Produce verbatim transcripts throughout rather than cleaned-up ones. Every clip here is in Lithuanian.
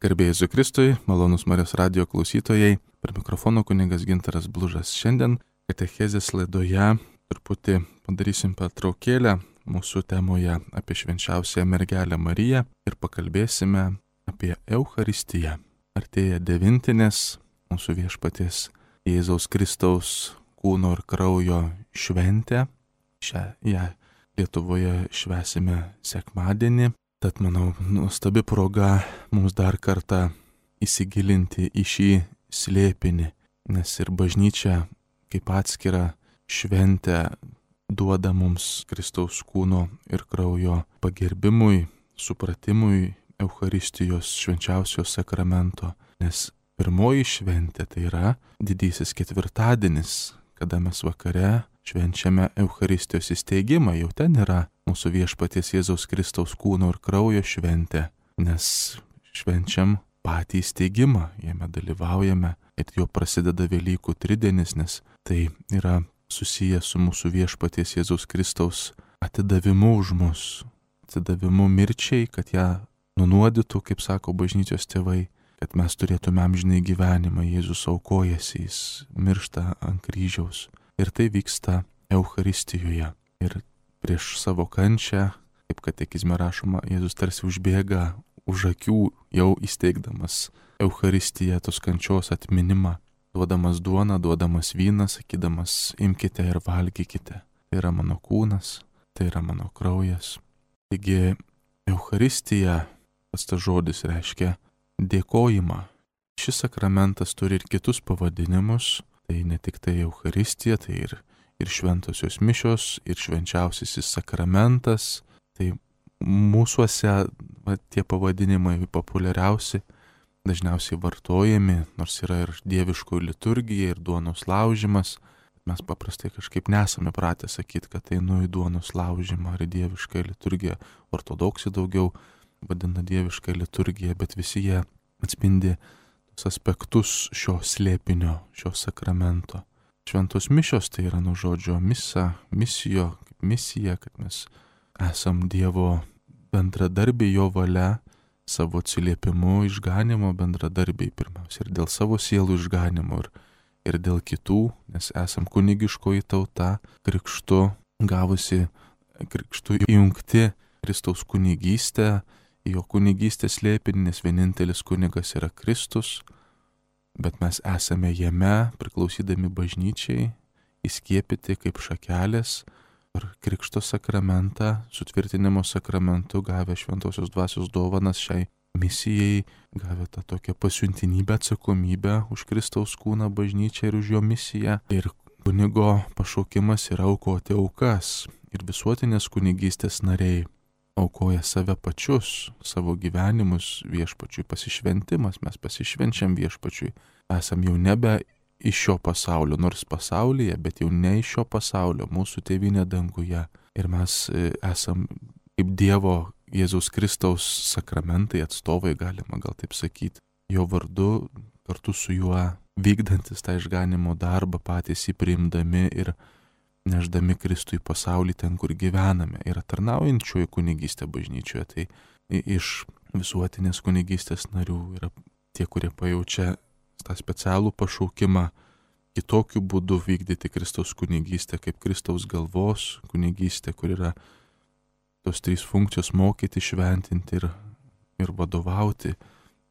Garbėjai Jėzui Kristui, malonus Marijos radijo klausytojai, per mikrofono kunigas Gintaras Blužas. Šiandien katechezės laidoje truputį padarysim pertraukėlę mūsų temoje apie švenčiausiąją mergelę Mariją ir pakalbėsime apie Eucharistiją. Artėja devintinės mūsų viešpaties Jėzaus Kristaus kūno ir kraujo šventė. Šią ją Lietuvoje švęsime sekmadienį. Tad, manau, nuostabi proga mums dar kartą įsigilinti į šį slėpinį, nes ir bažnyčia kaip atskira šventė duoda mums Kristaus kūno ir kraujo pagerbimui, supratimui Eucharistijos švenčiausios sakramento, nes pirmoji šventė tai yra didysis ketvirtadienis, kada mes vakare švenčiame Eucharistijos įsteigimą, jau ten yra mūsų viešpaties Jėzaus Kristaus kūno ir kraujo šventė, nes švenčiam patį įsteigimą, jame dalyvaujame ir jo prasideda Velykų tridienis, nes tai yra susijęs su mūsų viešpaties Jėzaus Kristaus atidavimu už mus, atidavimu mirčiai, kad ją nunuodytų, kaip sako bažnyčios tėvai, kad mes turėtume amžinai gyvenimą. Jėzus aukojasi, jis miršta ant kryžiaus. Ir tai vyksta Eucharistijoje. Ir prieš savo kančią, kaip katekizme rašoma, Jėzus tarsi užbėga už akių, jau įsteigdamas Eucharistiją, tos kančios atminimą, duodamas duoną, duodamas vyną, sakydamas, imkite ir valgykite. Tai yra mano kūnas, tai yra mano kraujas. Taigi Eucharistija, pats tas žodis reiškia dėkojimą. Šis sakramentas turi ir kitus pavadinimus. Tai ne tik tai Eucharistija, tai ir, ir šventosios mišios, ir švenčiausiasis sakramentas. Tai mūsuose va, tie pavadinimai populiariausi, dažniausiai vartojami, nors yra ir dieviškoji liturgija, ir duonos laužimas. Mes paprastai kažkaip nesame pratę sakyti, kad tai nu į duonos laužimą ar į dievišką liturgiją. Ortodoksai daugiau vadina dievišką liturgiją, bet visi jie atspindi aspektus šio slėpinio, šio sakramento. Šventos mišios tai yra nuo žodžio misa, misijo, kaip misija, kad mes esam Dievo bendradarbiai jo valia, savo atsiliepimu išganimo bendradarbiai pirmiausia ir dėl savo sielų išganimo ir, ir dėl kitų, nes esam kunigiškoji tauta, krikštu gavusi, krikštu įjungti Kristaus kunigystę, jo kunigystės slėpinį, nes vienintelis kunigas yra Kristus, bet mes esame jame, priklausydami bažnyčiai, įskiepyti kaip šakelės ir krikšto sakramentą, sutvirtinimo sakramentu gavę šventosios dvasios dovanas šiai misijai, gavę tą tokią pasiuntinybę, atsakomybę už Kristaus kūną bažnyčią ir už jo misiją. Ir kunigo pašaukimas yra aukoti aukas ir visuotinės kunigystės nariai aukoja save pačius, savo gyvenimus viešpačiui, pasišventimas, mes pasišvenčiam viešpačiui. Esam jau nebe iš šio pasaulio, nors pasaulyje, bet jau ne iš šio pasaulio, mūsų tėvynė danguje. Ir mes esam kaip Dievo Jėzaus Kristaus sakramentai, atstovai, galima gal taip sakyti, jo vardu, kartu su juo vykdantis tą išganimo darbą, patys jį priimdami ir neždami Kristų į pasaulį ten, kur gyvename. Yra tarnaujančioji kunigystė bažnyčioje, tai iš visuotinės kunigystės narių yra tie, kurie pajaučia tą specialų pašaukimą kitokiu būdu vykdyti Kristaus kunigystę, kaip Kristaus galvos kunigystė, kur yra tos trys funkcijos - mokyti, šventinti ir, ir vadovauti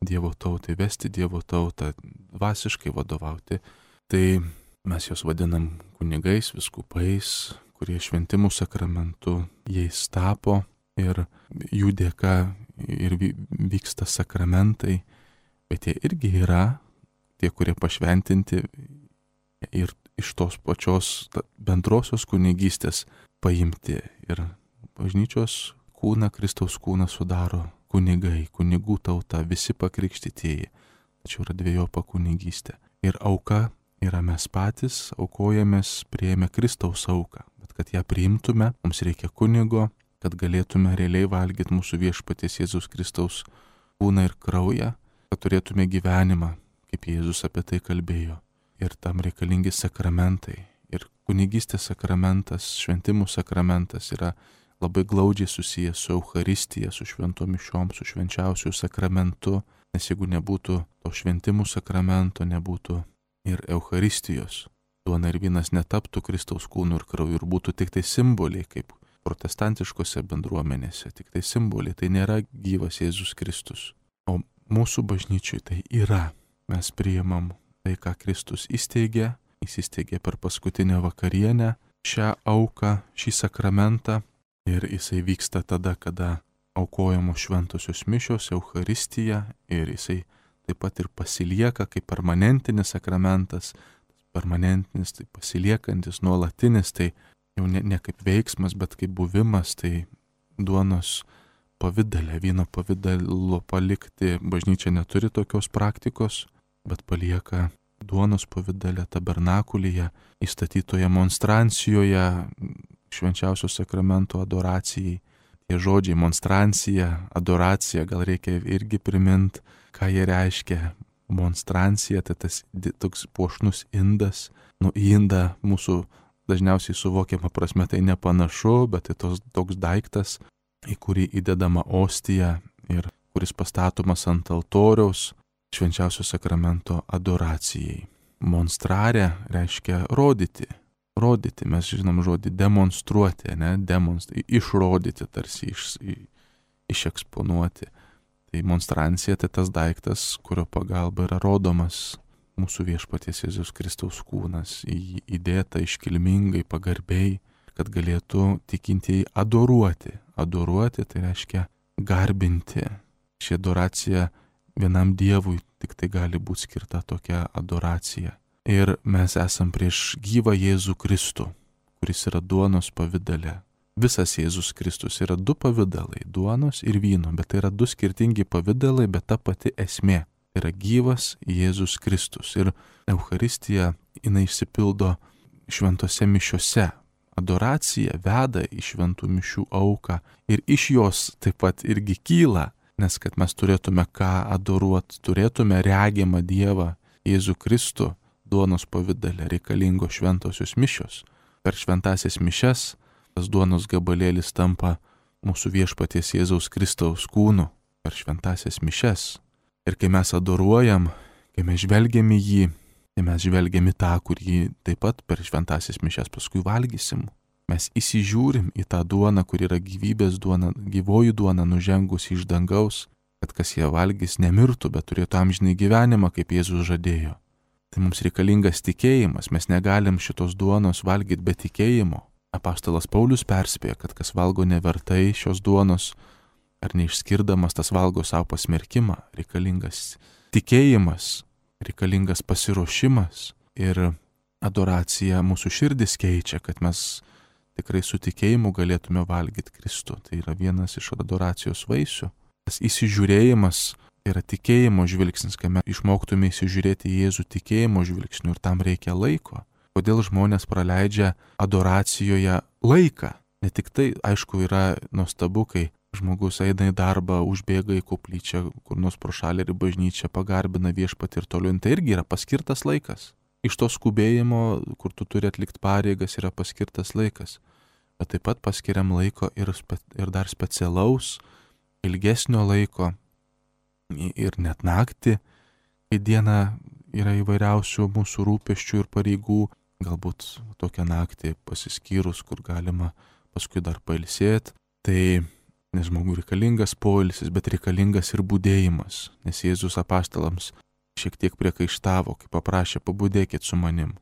Dievo tautai, vesti Dievo tautą, dvasiškai vadovauti. Tai mes juos vadinam kunigais, viskupais, kurie šventimų sakramentu jais tapo ir jų dėka ir vyksta sakramentai, bet jie irgi yra tie, kurie pašventinti ir iš tos pačios bendrosios kunigystės paimti. Ir bažnyčios kūną, Kristaus kūną sudaro kunigai, kunigų tauta, visi pakrikštytieji. Tačiau yra dvejopa kunigystė. Ir auka yra mes patys, aukojamės, priėmę Kristaus auką. Bet kad ją priimtume, mums reikia kunigo, kad galėtume realiai valgyti mūsų viešpaties Jėzus Kristaus kūną ir kraują, kad turėtume gyvenimą, kaip Jėzus apie tai kalbėjo. Ir tam reikalingi sakramentai. Ir kunigystės sakramentas, šventimų sakramentas yra labai glaudžiai susijęs su Eucharistija, su šventom mišiom, su švenčiausiu sakramentu. Nes jeigu nebūtų to šventimų sakramento, nebūtų ir Eucharistijos, duona ir vynas netaptų Kristaus kūnu ir krauju ir būtų tik tai simboliai, kaip protestantiškose bendruomenėse, tik tai simboliai, tai nėra gyvas Jėzus Kristus. O mūsų bažnyčiui tai yra. Mes priimam tai, ką Kristus įsteigė, jis įsteigė per paskutinę vakarienę šią auką, šį sakramentą ir jisai vyksta tada, kada aukojamos šventosios mišios, Eucharistija ir jisai taip pat ir pasilieka kaip permanentinis sakramentas, permanentinis, tai pasiliekantis, nuolatinis, tai jau ne, ne kaip veiksmas, bet kaip buvimas, tai duonos pavidale, vyno pavidalo palikti. Bažnyčia neturi tokios praktikos, bet palieka duonos pavidale tabernakulyje, įstatytoje monstrancijoje, švenčiausio sakramento adoracijai. Tie žodžiai monstrancija, adoracija, gal reikia irgi priminti, ką jie reiškia. Monstrancija, tai tas toks puošnus indas. Nu, į indą mūsų dažniausiai suvokiama prasme tai nepanašu, bet tai tos, toks daiktas, į kurį įdedama ostija ir kuris pastatomas ant altoriaus švenčiausio sakramento adoracijai. Monstrare reiškia rodyti. Rodyti, mes žinom žodį demonstruoti, ne, demonstruoti, išrodyti, tarsi iš, išeksponuoti. Tai monstrancija tai tas daiktas, kurio pagalba yra rodomas mūsų viešpaties Jėzaus Kristaus kūnas, į jį įdėta iškilmingai, pagarbiai, kad galėtų tikintieji adoruoti. Adoruoti tai reiškia garbinti. Ši adoracija vienam Dievui tik tai gali būti skirta tokia adoracija. Ir mes esam prieš gyvą Jėzų Kristų, kuris yra duonos pavidale. Visas Jėzus Kristus yra du pavidalai, duonos ir vyno, bet tai yra du skirtingi pavidalai, bet ta pati esmė. Tai yra gyvas Jėzus Kristus. Ir Eucharistija, jinai išsipildo šventose mišiose. Adoracija veda į šventų mišių auką ir iš jos taip pat irgi kyla, nes kad mes turėtume ką adoruoti, turėtume regimą Dievą Jėzų Kristų duonos pavidale, reikalingo šventosios mišios. Per šventasias mišias tas duonos gabalėlis tampa mūsų viešpaties Jėzaus Kristaus kūnu per šventasias mišias. Ir kai mes adoruojam, kai mes žvelgiam į jį, tai mes žvelgiam į tą, kurį taip pat per šventasias mišias paskui valgysim. Mes įsižiūrim į tą duoną, kur yra gyvybės duona, gyvoji duona nužengusi iš dangaus, kad kas ją valgys nemirtų, bet turėtų amžinai gyvenimą, kaip Jėzus žadėjo. Tai mums reikalingas tikėjimas, mes negalim šitos duonos valgyti be tikėjimo. Apaštalas Paulius perspėja, kad kas valgo nevertai šios duonos, ar neišskirdamas tas valgo savo pasmerkimą, reikalingas tikėjimas, reikalingas pasiruošimas ir adoracija mūsų širdis keičia, kad mes tikrai su tikėjimu galėtume valgyti Kristų. Tai yra vienas iš adoracijos vaisių. Tas įsižiūrėjimas yra tikėjimo žvilgsnis, kai mes išmoktume įsižiūrėti į Jėzų tikėjimo žvilgsnių ir tam reikia laiko. Kodėl žmonės praleidžia adoracijoje laiką? Ne tik tai, aišku, yra nuostabu, kai žmogus eina į darbą, užbėga į koplyčią, kur nors pro šalį ir bažnyčią, pagarbina viešpatį ir toliau. Tai irgi yra paskirtas laikas. Iš to skubėjimo, kur tu turi atlikti pareigas, yra paskirtas laikas. Bet taip pat paskiriam laiko ir, spe, ir dar specialaus, ilgesnio laiko ir net naktį, kai diena yra įvairiausių mūsų rūpesčių ir pareigų. Galbūt tokią naktį pasiskyrus, kur galima paskui dar pailsėti. Tai nes žmogui reikalingas poilsis, bet reikalingas ir budėjimas. Nes Jėzus apaštalams šiek tiek priekaištavo, kai paprašė pabudėkit su manim.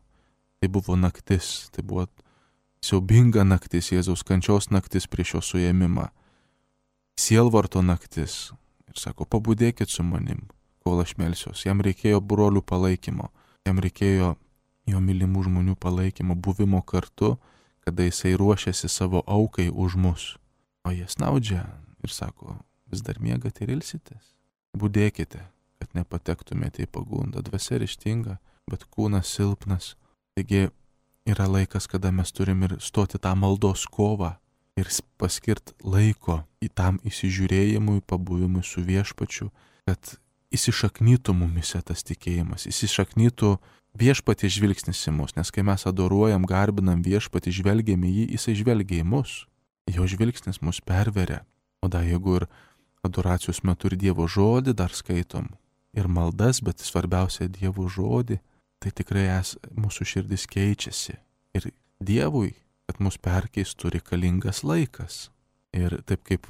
Tai buvo naktis, tai buvo siaubinga naktis, Jėzaus kančios naktis prieš jo suėmimą. Sielvarto naktis. Ir sako, pabudėkit su manim, kol aš melsiuos. Jam reikėjo brolių palaikymo, jam reikėjo jo mylimų žmonių palaikymo, buvimo kartu, kada jisai ruošiasi savo aukai už mus. O jie snaudžia ir sako, vis dar miegat ir ilsitės. Budėkite, kad nepatektumėte į pagundą. Dvasia ryžtinga, bet kūnas silpnas. Taigi yra laikas, kada mes turim ir stoti tą maldos kovą ir paskirti laiko į tam įsižiūrėjimui, pabuvimui su viešpačiu, kad įsišaknytų mumise tas tikėjimas, įsišaknytų viešpatį žvilgsnis į mus, nes kai mes adoruojam, garbinam viešpatį, žvelgiam į jį, jisai žvelgia į mus, jo žvilgsnis mus perveria. O da, jeigu ir adoracijos metu ir Dievo žodį dar skaitom, ir maldas, bet svarbiausia Dievo žodį, tai tikrai es, mūsų širdis keičiasi. Ir Dievui, kad mus perkeistų, reikalingas laikas. Ir taip kaip,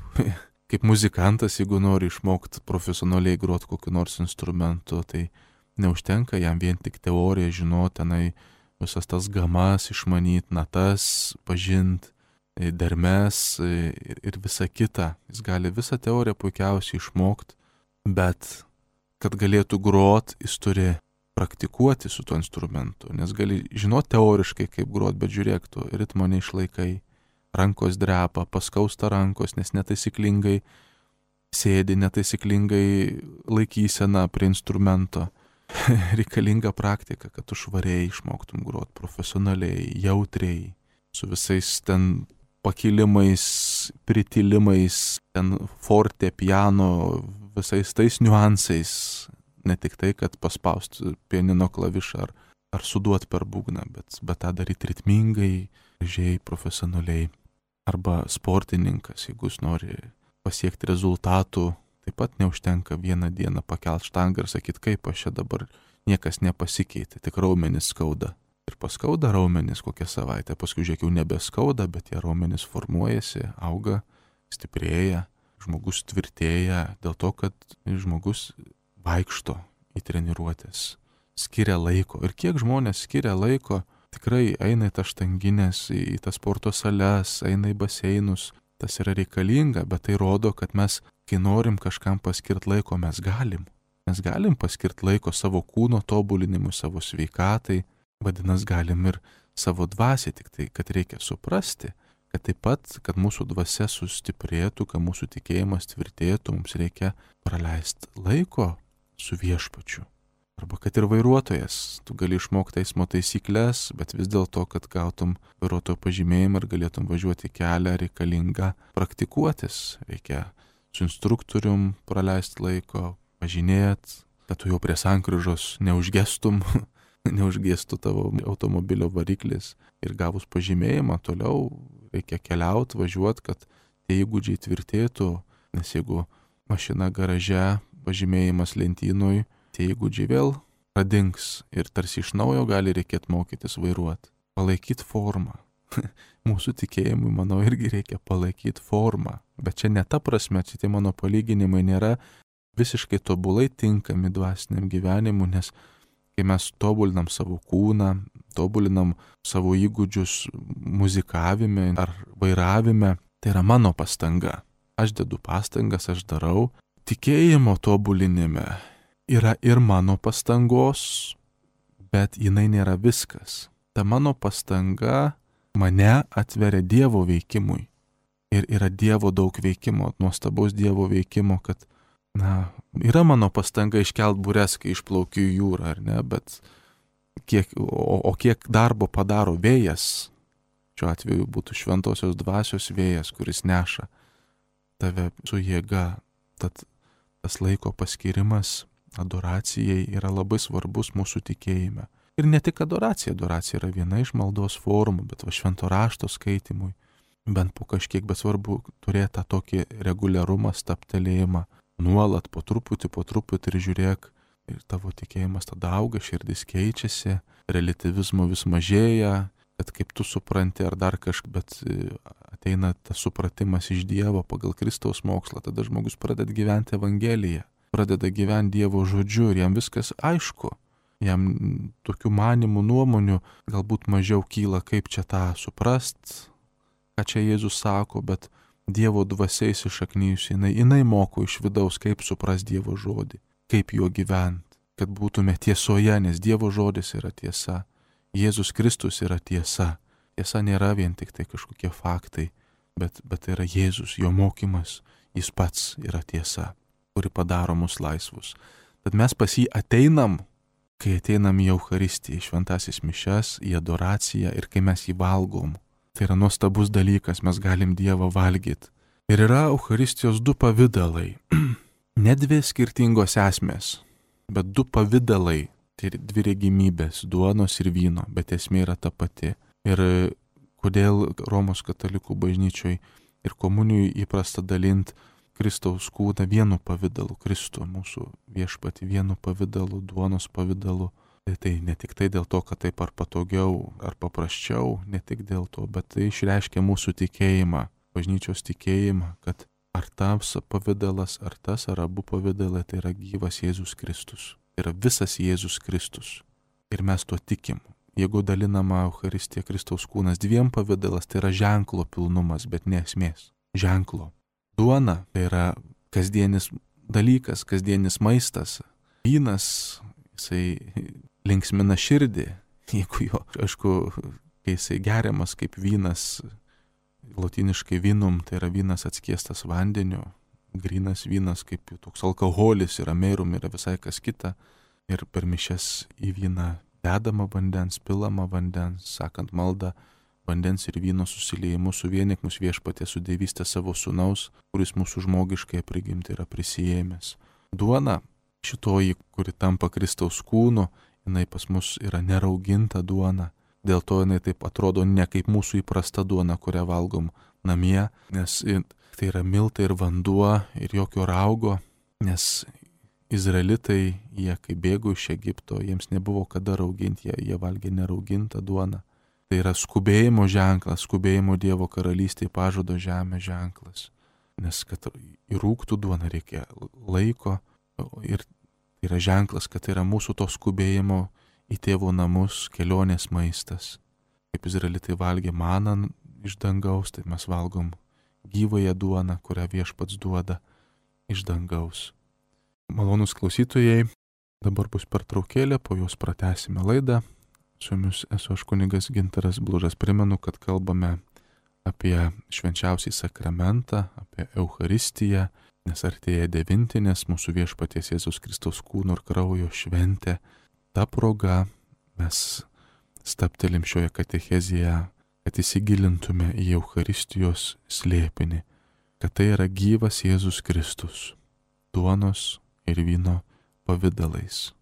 kaip muzikantas, jeigu nori išmokti profesionaliai groti kokiu nors instrumentu, tai neužtenka jam vien tik teoriją žinoti, tenai visas tas gamas išmanyti, natas pažinti, dermes ir, ir visa kita. Jis gali visą teoriją puikiausiai išmokti, bet kad galėtų groti, jis turi praktikuoti su tuo instrumentu, nes gali žinoti teoriškai, kaip groti, bet žiūrėk, tu ritmo neišlaikai, rankos drepa, paskausta rankos, nes netaisyklingai sėdi, netaisyklingai laikysena prie instrumento. Reikalinga praktika, kad tu švariai išmoktum groti profesionaliai, jautriai, su visais ten pakilimais, pritilimais, ten forte, piano, visais tais niuansais. Ne tik tai, kad paspaustų pianino klavišą ar, ar suduot per būgną, bet, bet tą daryti ritmingai, gražiai, profesionaliai. Arba sportininkas, jeigu jis nori pasiekti rezultatų, taip pat neužtenka vieną dieną pakelt štangą ir sakyti, kaip aš čia dabar niekas nepasikeitė, tik raumenis skauda. Ir paskauda raumenis kokią savaitę, paskui žiūrėk jau nebeskauda, bet tie raumenis formuojasi, auga, stiprėja, žmogus tvirtėja dėl to, kad žmogus vaikšto į treniruotės, skiria laiko. Ir kiek žmonės skiria laiko, tikrai eina į tas štanginės, į tas sporto sales, eina į baseinus, tas yra reikalinga, bet tai rodo, kad mes, kai norim kažkam paskirti laiko, mes galim. Mes galim paskirti laiko savo kūno tobulinimui, savo sveikatai, vadinasi, galim ir savo dvasiai, tik tai, kad reikia suprasti, kad taip pat, kad mūsų dvasia sustiprėtų, kad mūsų tikėjimas tvirtėtų, mums reikia praleisti laiko su viešpačiu. Arba kad ir vairuotojas, tu gali išmokti eismo taisyklės, bet vis dėlto, kad gautum vairuotojo pažymėjimą ir galėtum važiuoti kelią, reikalinga praktikuotis. Reikia su instruktorium praleisti laiko, važinėti, kad tu jau prie sankryžos neužgestum, neužgestų tavo automobilio variklis. Ir gavus pažymėjimą, toliau reikia keliauti, važiuoti, kad tie įgūdžiai tvirtėtų, nes jeigu mašina garaže, pažymėjimas lentynoj, tie įgūdžiai vėl pradings ir tarsi iš naujo gali reikėti mokytis vairuoti. Palaikyti formą. Mūsų tikėjimui, manau, irgi reikia palaikyti formą. Bet čia ne ta prasme, čia tie mano palyginimai nėra visiškai tobulai tinkami dvasiniam gyvenimui, nes kai mes tobulinam savo kūną, tobulinam savo įgūdžius muzikavime ar vairavime, tai yra mano pastanga. Aš dedu pastangas, aš darau. Tikėjimo tobulinime yra ir mano pastangos, bet jinai nėra viskas. Ta mano pastanga mane atveria Dievo veikimui. Ir yra Dievo daug veikimo, nuostabaus Dievo veikimo, kad, na, yra mano pastanga iškelt bures, kai išplaukiu į jūrą, ar ne, bet kiek, o, o kiek darbo padaro vėjas, šiuo atveju būtų šventosios dvasios vėjas, kuris neša tave su jėga. Tad tas laiko paskirimas adoracijai yra labai svarbus mūsų tikėjime. Ir ne tik adoracija, adoracija yra viena iš maldos formų, bet va švento rašto skaitimui, bent po kažkiek, bet svarbu turėti tą tokį reguliarumą, staptelėjimą, nuolat po truputį, po truputį ir žiūrėk, ir tavo tikėjimas tada auga, širdis keičiasi, relativizmo vis mažėja, kad kaip tu supranti ar dar kažkaip, bet ateina tas supratimas iš Dievo pagal Kristaus mokslą, tada žmogus pradeda gyventi Evangeliją, pradeda gyventi Dievo žodžiu ir jam viskas aišku. Jam tokių manimų, nuomonių galbūt mažiau kyla, kaip čia tą suprast, ką čia Jėzus sako, bet Dievo dvasia įsišaknyjusi, jinai, jinai moko iš vidaus, kaip suprast Dievo žodį, kaip juo gyventi, kad būtume tiesoje, nes Dievo žodis yra tiesa. Jėzus Kristus yra tiesa. Tiesa nėra vien tik tai kažkokie faktai, bet, bet tai yra Jėzus, jo mokymas, jis pats yra tiesa, kuri padaro mus laisvus. Tad mes pas jį ateinam, kai ateinam į Eucharistiją, į šventasis mišias, į adoraciją ir kai mes jį valgom. Tai yra nuostabus dalykas, mes galim Dievą valgyti. Ir yra Eucharistijos du pavidalai. Ne dvi skirtingos esmės, bet du pavidalai. Tai dvi regimybės, duonos ir vyno, bet esmė yra ta pati. Ir kodėl Romos katalikų bažnyčioj ir komunijų įprasta dalinti Kristaus kūną vienu pavidalu, Kristų mūsų viešpatį vienu pavidalu, duonos pavidalu. Tai, tai ne tik tai dėl to, kad taip ar patogiau, ar paprasčiau, ne tik dėl to, bet tai išreiškia mūsų tikėjimą, bažnyčios tikėjimą, kad ar tas pavidalas, ar tas, ar abu pavidalai, tai yra gyvas Jėzus Kristus. Tai yra visas Jėzus Kristus. Ir mes tuo tikim. Jeigu dalinama Eucharistija Kristaus kūnas dviem pavidalas, tai yra ženklo pilnumas, bet ne esmės. Ženklo. Duona tai yra kasdienis dalykas, kasdienis maistas. Vynas, jisai linksmina širdį. Jeigu jo, aišku, kai jisai geriamas kaip vynas, lotyniškai vinum, tai yra vynas atskiestas vandeniu. Grynas vynas kaip toks alkoholis yra merum, yra visai kas kita. Ir per mišias į vyną dedama vandens, pilama vandens, sakant maldą, vandens ir vyno susiliejimu suvienik mus viešpatie su dievystė savo sūnaus, kuris mūsų žmogiškai prigimti yra prisijėmęs. Duona, šitoji, kuri tampa Kristaus kūnu, jinai pas mus yra nerauginta duona. Dėl to jinai taip atrodo ne kaip mūsų įprasta duona, kurią valgom namie, nes tai yra miltai ir vanduo ir jokio raugo, nes Izraelitai, jie kai bėgo iš Egipto, jiems nebuvo kada rauginti, jie, jie valgė neraugintą duoną. Tai yra skubėjimo ženklas, skubėjimo Dievo karalystėje pažado žemė ženklas. Nes kad įrūgtų duona reikia laiko ir tai yra ženklas, kad tai yra mūsų to skubėjimo į tėvo namus kelionės maistas. Kaip Izraelitai valgė maną iš dangaus, tai mes valgom gyvąją duoną, kurią viešpats duoda iš dangaus. Malonūs klausytojai, dabar bus pertraukėlė, po jos pratęsime laidą. Su jumis esu aš kunigas Gintaras Blužas. Primenu, kad kalbame apie švenčiausią sakramentą, apie Eucharistiją, nes artėja devintinės mūsų viešpaties Jėzaus Kristaus kūno ir kraujo šventė. Ta proga mes stabtelim šioje katechezėje, kad įsigilintume į Eucharistijos slėpinį, kad tai yra gyvas Jėzus Kristus, duonos ir vyno pavidalais.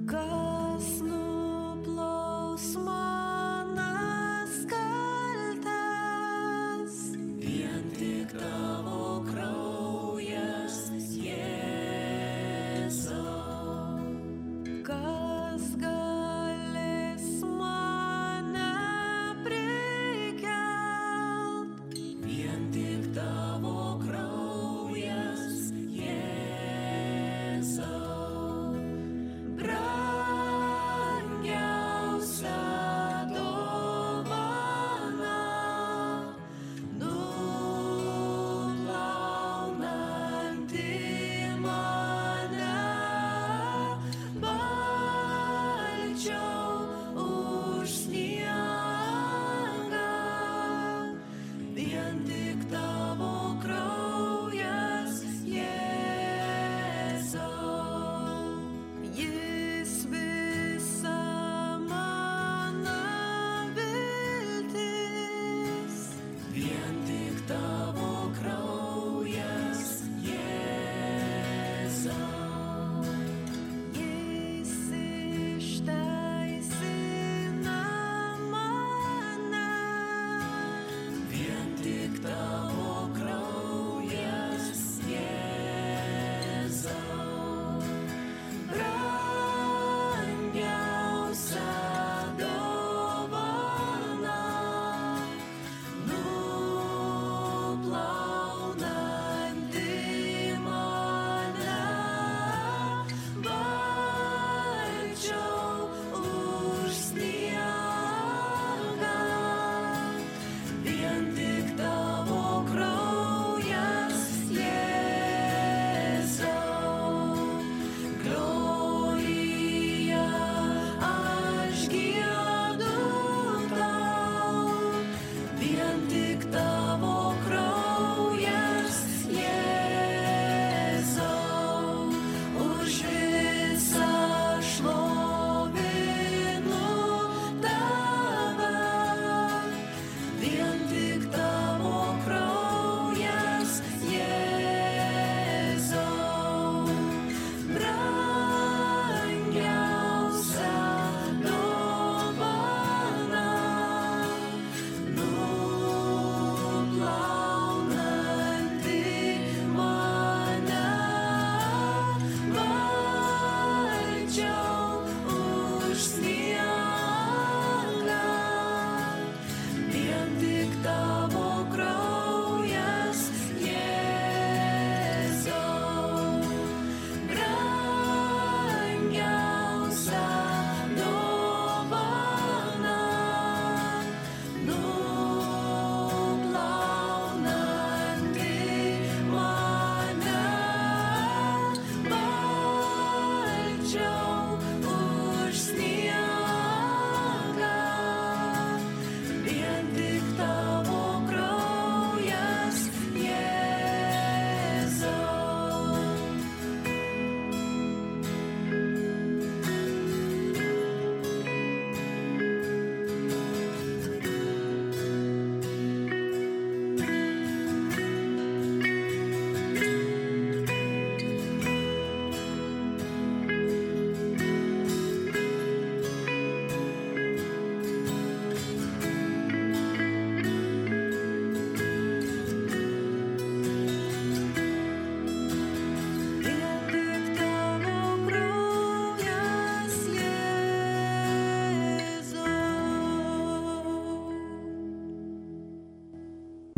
Kas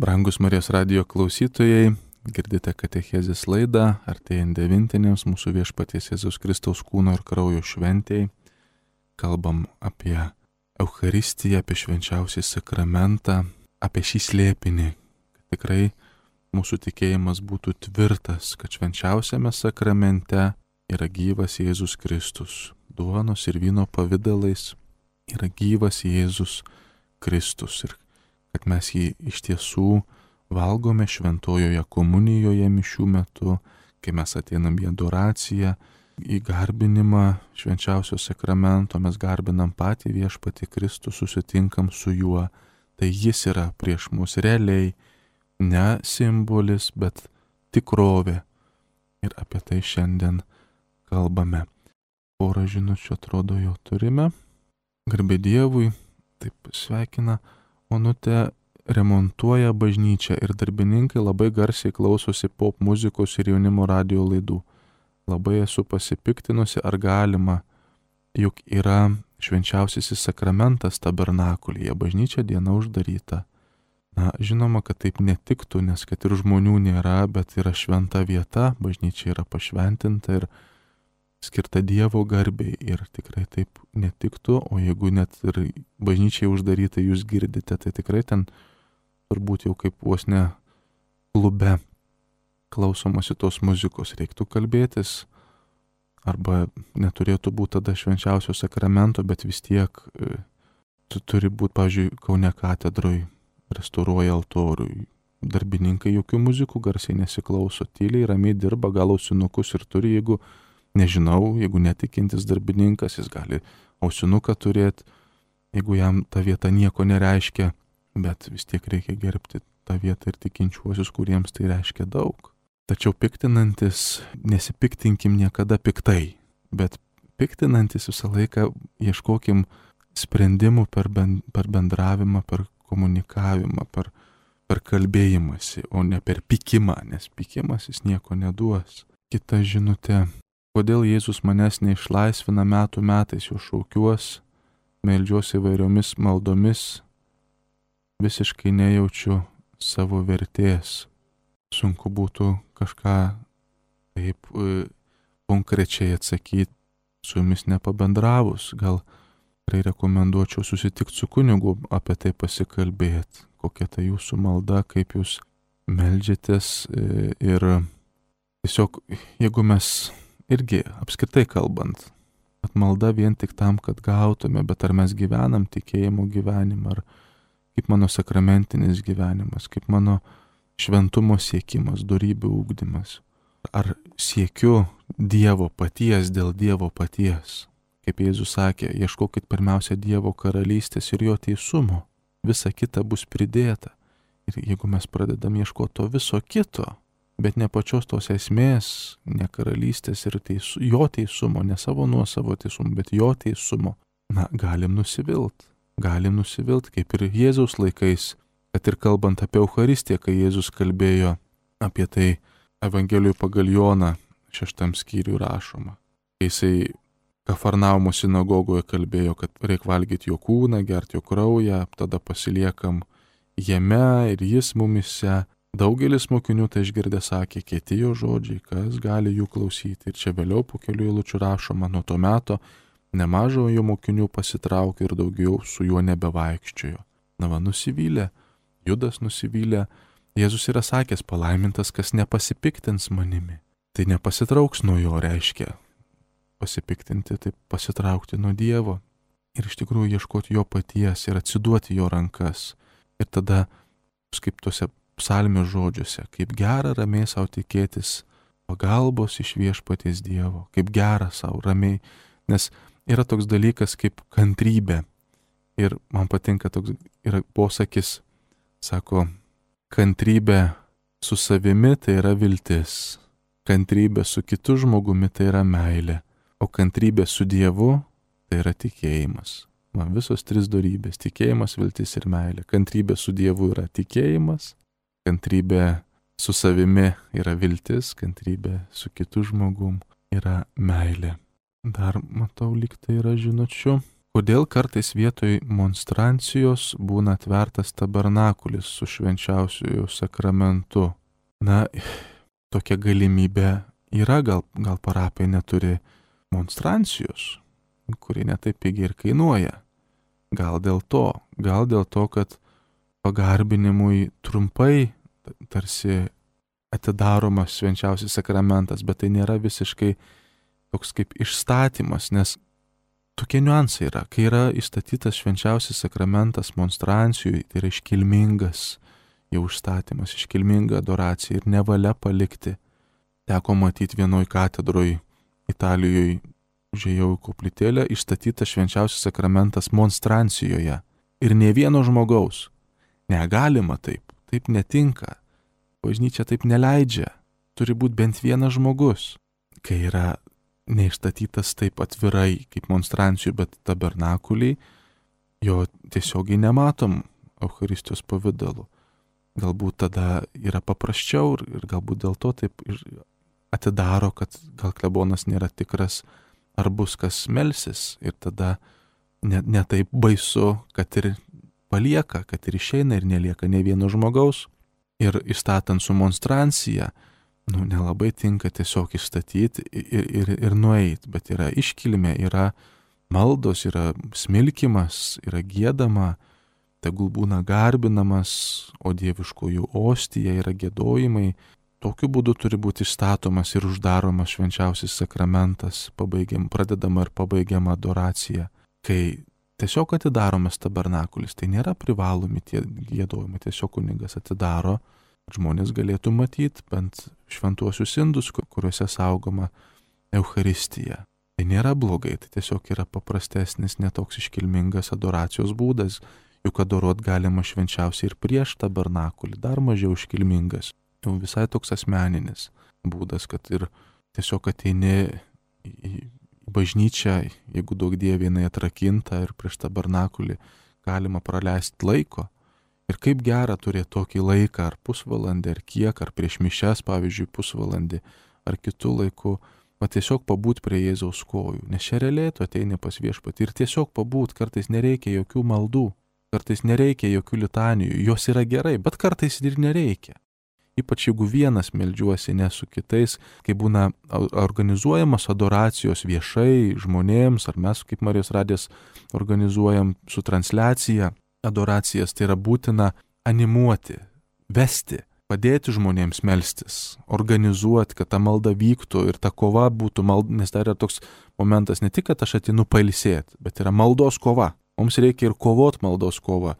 Brangus Marijos radijo klausytojai, girdite katechezės laidą, artėjant devintinėms mūsų Viešpaties Jėzaus Kristaus kūno ir kraujo šventėjai. Kalbam apie Eucharistiją, apie švenčiausią sakramentą, apie šį slėpinį, kad tikrai mūsų tikėjimas būtų tvirtas, kad švenčiausiame sakramente yra gyvas Jėzus Kristus. Duonos ir vyno pavidalais yra gyvas Jėzus Kristus ir kad mes jį iš tiesų valgome šventojoje komunijoje mišių metu, kai mes ateinam į adoraciją, į garbinimą švenčiausio sakramento, mes garbinam patį Viešpatį Kristų, susitinkam su juo, tai jis yra prieš mus realiai, ne simbolis, bet tikrovė. Ir apie tai šiandien kalbame. Porą žinučių atrodo jau turime. Garbė Dievui, taip sveikina Onutė, remontuoja bažnyčią ir darbininkai labai garsiai klausosi pop muzikos ir jaunimo radio laidų. Labai esu pasipiktinusi, ar galima, juk yra švenčiausiasis sakramentas tabernakulyje, bažnyčia diena uždaryta. Na, žinoma, kad taip netiktų, nes kad ir žmonių nėra, bet yra šventa vieta, bažnyčia yra pašventinta ir skirta Dievo garbei ir tikrai taip netiktų, o jeigu net ir bažnyčiai uždaryta jūs girdite, tai tikrai ten turbūt jau kaip vos ne klube klausomasi tos muzikos, reiktų kalbėtis, arba neturėtų būti tada švenčiausio sakramento, bet vis tiek e, tu turi būti, pavyzdžiui, Kaune katedroj, restauruoja altorių, darbininkai jokių muzikų garsiai nesiklauso, tyliai, ramiai dirba, gal ausinukus ir turi, jeigu nežinau, jeigu netikintis darbininkas, jis gali ausinuką turėti, jeigu jam ta vieta nieko nereiškia, bet vis tiek reikia gerbti tą vietą ir tikinčiuosius, kuriems tai reiškia daug. Tačiau piktinantis, nesipiktinkim niekada piktai, bet piktinantis visą laiką ieškokim sprendimų per, ben, per bendravimą, per komunikavimą, per, per kalbėjimąsi, o ne per pykimą, nes pykimas jis nieko neduos. Kita žinutė. Kodėl Jėzus manęs neišlaisvina metų metais, jo šaukiuos, meldžiuosi įvairiomis maldomis, visiškai nejaučiu savo vertės. Sunku būtų kažką taip e, konkrečiai atsakyti, su jumis nepabendravus. Gal tikrai rekomenduočiau susitikti su kunigu, apie tai pasikalbėti, kokia tai jūsų malda, kaip jūs meldžiatės e, ir tiesiog, jeigu mes irgi apskritai kalbant, kad malda vien tik tam, kad gautume, bet ar mes gyvenam tikėjimo gyvenimą, ar kaip mano sakramentinis gyvenimas, kaip mano šventumo siekimas, dorybių ugdymas, ar siekiu Dievo paties dėl Dievo paties. Kaip Jėzus sakė, ieškokit pirmiausia Dievo karalystės ir jo teisumo, visa kita bus pridėta. Ir jeigu mes pradedam ieškoti to viso kito, bet ne pačios tos esmės, ne karalystės ir teisu, jo teisumo, ne savo nuosavo teisumo, bet jo teisumo, na, galim nusivilt. Galim nusivilt, kaip ir Jėzaus laikais, kad ir kalbant apie Eucharistiją, kai Jėzus kalbėjo apie tai Evangelijų pagal Joną šeštam skyriui rašoma. Kai jisai Kafarnaumo sinagogoje kalbėjo, kad reik valgyti jo kūną, gerti jo kraują, tada pasiliekam jame ir jis mumise. Daugelis mokinių tai išgirdę sakė, kieti jo žodžiai, kas gali jų klausyti. Ir čia vėliau po kelių eilučių rašoma, nuo to meto nemažo jo mokinių pasitraukė ir daugiau su juo nebevaikščiojo. Na va, nusivylė, Judas nusivylė. Jėzus yra sakęs, palaimintas, kas nepasipiktins manimi. Tai nepasitrauks nuo jo, reiškia. Pasipiktinti, tai pasitraukti nuo Dievo. Ir iš tikrųjų ieškoti jo paties ir atsiduoti jo rankas. Ir tada, kaip tuose psalmės žodžiuose, kaip gera ramiai savo tikėtis pagalbos iš Viešpaties Dievo, kaip gera savo ramiai, nes yra toks dalykas kaip kantrybė. Ir man patinka toks yra posakis, sako, kantrybė su savimi tai yra viltis, kantrybė su kitu žmogumi tai yra meilė, o kantrybė su Dievu tai yra tikėjimas. Man visos tris dorybės - tikėjimas, viltis ir meilė. Kantrybė su Dievu yra tikėjimas, kantrybė su savimi yra viltis, kantrybė su kitu žmogum yra meilė. Dar matau, lyg tai yra žinučių. Kodėl kartais vietoj monstrancijos būna atvertas tabernakulis su švenčiausiuoju sakramentu? Na, tokia galimybė yra, gal, gal parapija neturi monstrancijos, kuri netaip pigiai ir kainuoja. Gal dėl to, gal dėl to, kad pagarbinimui trumpai tarsi atidaromas švenčiausias sakramentas, bet tai nėra visiškai toks kaip išstatymas, nes tokie niuansai yra. Kai yra įstatytas švenčiausias sakramentas monstrancijui, tai yra iškilmingas jau užstatymas, iškilminga adoracija ir nevalia palikti. Teko matyti vienoj katedroj Italijoje, užėjau į koplytėlę, išstatytas švenčiausias sakramentas monstrancijoje. Ir ne vieno žmogaus. Negalima taip, taip netinka. Bažnyčia taip neleidžia. Turi būti bent vienas žmogus. Kai yra neišstatytas taip atvirai kaip monstrancijų, bet tabernakuliai, jo tiesiogiai nematom Eucharistijos pavidalu. Galbūt tada yra paprasčiau ir, ir galbūt dėl to taip ir atidaro, kad gal klebonas nėra tikras, ar bus kas melsis. Ir tada ne, ne taip baisu, kad ir palieka, kad ir išeina ir nelieka ne vieno žmogaus. Ir įstatant su monstrancija, nu, nelabai tinka tiesiog išstatyti ir, ir, ir nueiti, bet yra iškilmė, yra maldos, yra smilkimas, yra giedama, tegul būna garbinamas, o dieviškųjų ostija yra giedojimai. Tokiu būdu turi būti išstatomas ir uždaromas švenčiausias sakramentas, pabaigiam, pradedama ir pabaigiama adoracija. Kai tiesiog atidaromas tabernakulis, tai nėra privalomi tie giedojimai, tiesiog kunigas atidaro, žmonės galėtų matyti bent šventuosius indus, kuriuose saugoma Eucharistija. Tai nėra blogai, tai tiesiog yra paprastesnis, netoks iškilmingas adoracijos būdas, juk adoruot galima švenčiausiai ir prieš tabernakulį, dar mažiau iškilmingas. Jau visai toks asmeninis būdas, kad ir tiesiog ateini į bažnyčią, jeigu daug dievė jinai atrakinta ir prieš tabernakulį galima praleisti laiko. Ir kaip gera turėti tokį laiką, ar pusvalandį, ar kiek, ar prieš mišias, pavyzdžiui, pusvalandį, ar kitų laikų, va tiesiog pabūt prie Jėzaus kojų. Nes čia realiai tu ateini pas viešpatį ir tiesiog pabūt, kartais nereikia jokių maldų, kartais nereikia jokių litanijų, jos yra gerai, bet kartais ir nereikia. Ypač jeigu vienas meldžiuosi, ne su kitais, kai būna organizuojamos adoracijos viešai žmonėms, ar mes kaip Marijos radijas organizuojam su transliacija adoracijas, tai yra būtina animuoti, vesti, padėti žmonėms melstis, organizuoti, kad ta malda vyktų ir ta kova būtų malda, nes tai yra toks momentas ne tik, kad aš atinu pailsėti, bet yra maldos kova. Mums reikia ir kovot maldos kovą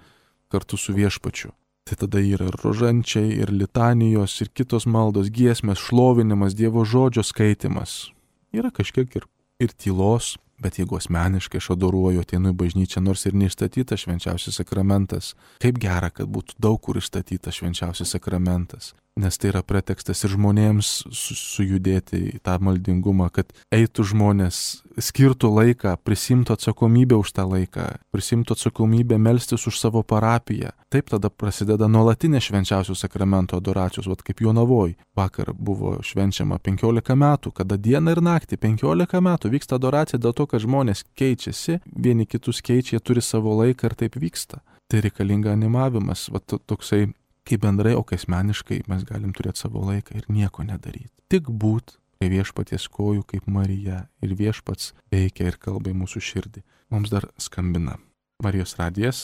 kartu su viešpačiu. Tai tada yra ir rožančiai, ir litanijos, ir kitos maldos, giesmės, šlovinimas, Dievo žodžio skaitimas. Yra kažkiek ir, ir tylos, bet jeigu asmeniškai aš adoruoju, ateinu į bažnyčią, nors ir neišstatytas švenčiausias sakramentas, kaip gera, kad būtų daug kur išstatytas švenčiausias sakramentas. Nes tai yra pretekstas ir žmonėms su, sujudėti į tą maldingumą, kad eitų žmonės, skirtų laiką, prisimtų atsakomybę už tą laiką, prisimtų atsakomybę melstis už savo parapiją. Taip tada prasideda nuolatinė švenčiausių sakramento adoracijos, vat kaip Jonavoj. Vakar buvo švenčiama penkiolika metų, kada dieną ir naktį penkiolika metų vyksta adoracija dėl to, kad žmonės keičiasi, vieni kitus keičia, jie turi savo laiką ir taip vyksta. Tai reikalinga animavimas, vat toksai, kaip bendrai, o kai asmeniškai mes galim turėti savo laiką ir nieko nedaryti. Tik būt prie viešpaties kojų kaip Marija ir viešpats veikia ir kalba į mūsų širdį. Mums dar skambina Marijos radijas.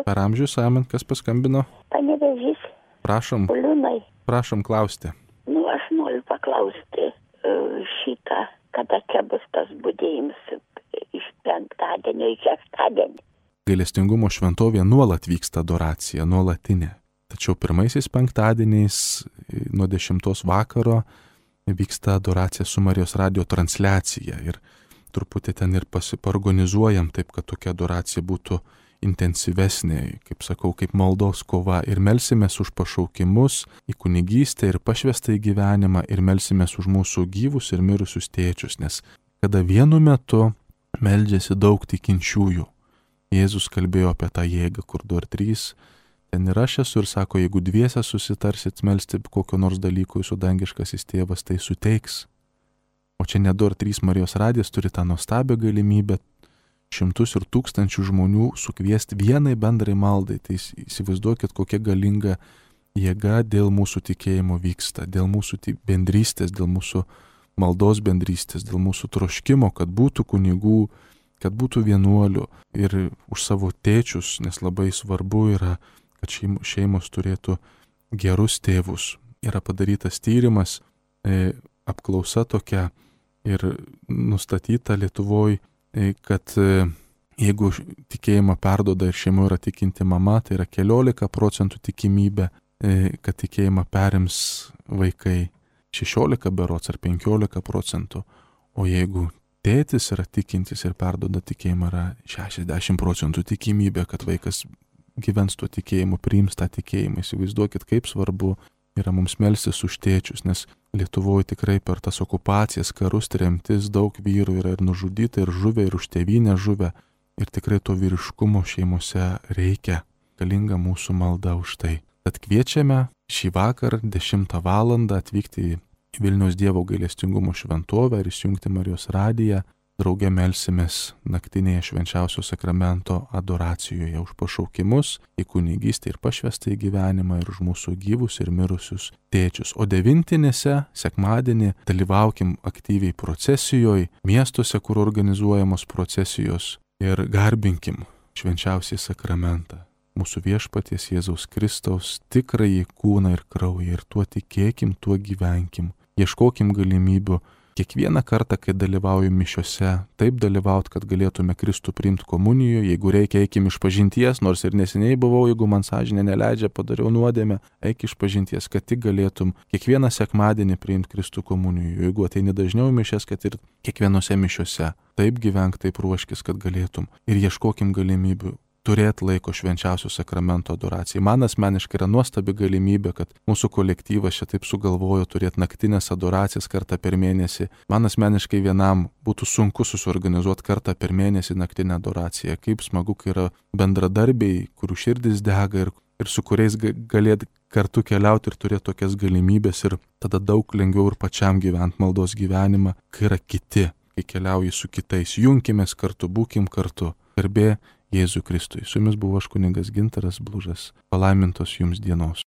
Per amžius, amen, kas paskambino? Panevėžys. Prašom. Liūnai. Prašom klausti. Nu, aš noriu paklausti šitą, kada čia bus tas budėjimas iš penktadienio į šeštadienį. Gailestingumo šventovėje nuolat vyksta adoracija, nuolatinė. Tačiau pirmaisiais penktadieniais nuo dešimtos vakaro vyksta adoracija su Marijos radijo transliacija ir truputį ten ir pasiorganizuojam taip, kad tokia adoracija būtų intensyvesnė, kaip sakau, kaip maldos kova ir melsimės už pašaukimus į kunigystę ir pašvestą į gyvenimą ir melsimės už mūsų gyvus ir mirusius tėčius, nes kada vienu metu meldžiasi daug tikinčiųjų. Jėzus kalbėjo apie tą jėgą, kur du ar trys, ten ir aš esu ir sako, jeigu dviese susitarsit melsti kokio nors dalyko, jūsų dangiškasis tėvas tai suteiks. O čia ne du ar trys Marijos radijas turi tą nuostabią galimybę šimtus ir tūkstančių žmonių sukviesti vienai bendrai maldai. Tai įsivaizduokit, kokia galinga jėga dėl mūsų tikėjimo vyksta, dėl mūsų bendrystės, dėl mūsų maldos bendrystės, dėl mūsų troškimo, kad būtų kunigų, kad būtų vienuolių ir už savo tėčius, nes labai svarbu yra, kad šeimos turėtų gerus tėvus. Yra padarytas tyrimas, e, apklausa tokia ir nustatyta Lietuvoje, e, kad e, jeigu tikėjimą perduoda ir šeimoje yra tikinti mama, tai yra keliolika procentų tikimybė, e, kad tikėjimą perims vaikai, šešiolika berods ar penkiolika procentų, o jeigu tėtis yra tikintis ir perduoda tikėjimą, yra šešiasdešimt procentų tikimybė, kad vaikas gyvens tuo tikėjimu, priims tą tikėjimą. Įsivaizduokit, kaip svarbu yra mums melstis už tėčius, nes Lietuvoje tikrai per tas okupacijas, karus, tremtis daug vyrų yra ir nužudyta, ir žuvę, ir už tėvynę žuvę. Ir tikrai to vyriškumo šeimose reikia. Galinga mūsų malda už tai. Tad kviečiame šį vakar dešimtą valandą atvykti į Vilniaus Dievo gailestingumo šventovę ir įsijungti Marijos radiją. Drauge melsimės naktinėje švenčiausio sakramento adoracijoje už pašaukimus į kunigystę ir pašvestą į gyvenimą ir už mūsų gyvus ir mirusius tėčius. O devintinėse sekmadienį dalyvaukim aktyviai procesijoje, miestuose, kur organizuojamos procesijos, ir garbinkim švenčiausiai sakramentą. Mūsų viešpaties Jėzaus Kristaus tikrąjį kūną ir kraują ir tuo tikėkim, tuo gyvenkim. Ieškokim galimybių kiekvieną kartą, kai dalyvauju mišiose, taip dalyvaut, kad galėtume Kristų priimti komunijoje. Jeigu reikia, eikim iš pažinties, nors ir neseniai buvau, jeigu man sąžinė neleidžia, padariau nuodėmę, eik iš pažinties, kad tik galėtum kiekvieną sekmadienį priimti Kristų komunijoje. Jeigu ateini dažniau mišias, kad ir kiekvienose mišiose. Taip gyvenk, taip ruoškis, kad galėtum. Ir ieškokim galimybių turėti laiko švenčiausio sakramento adoracijai. Man asmeniškai yra nuostabi galimybė, kad mūsų kolektyvas čia taip sugalvojo turėti naktinės adoracijas kartą per mėnesį. Man asmeniškai vienam būtų sunku susiorganizuoti kartą per mėnesį naktinę adoraciją. Kaip smagu, kai yra bendradarbiai, kurių širdis dega ir, ir su kuriais galėt kartu keliauti ir turėti tokias galimybės ir tada daug lengviau ir pačiam gyventi maldos gyvenimą, kai yra kiti, kai keliauji su kitais. Junkimės kartu, būkim kartu. Garbė Jėzui Kristui. Su jumis buvo aš kunigas Gintaras Blužas. Palaimintos jums dienos.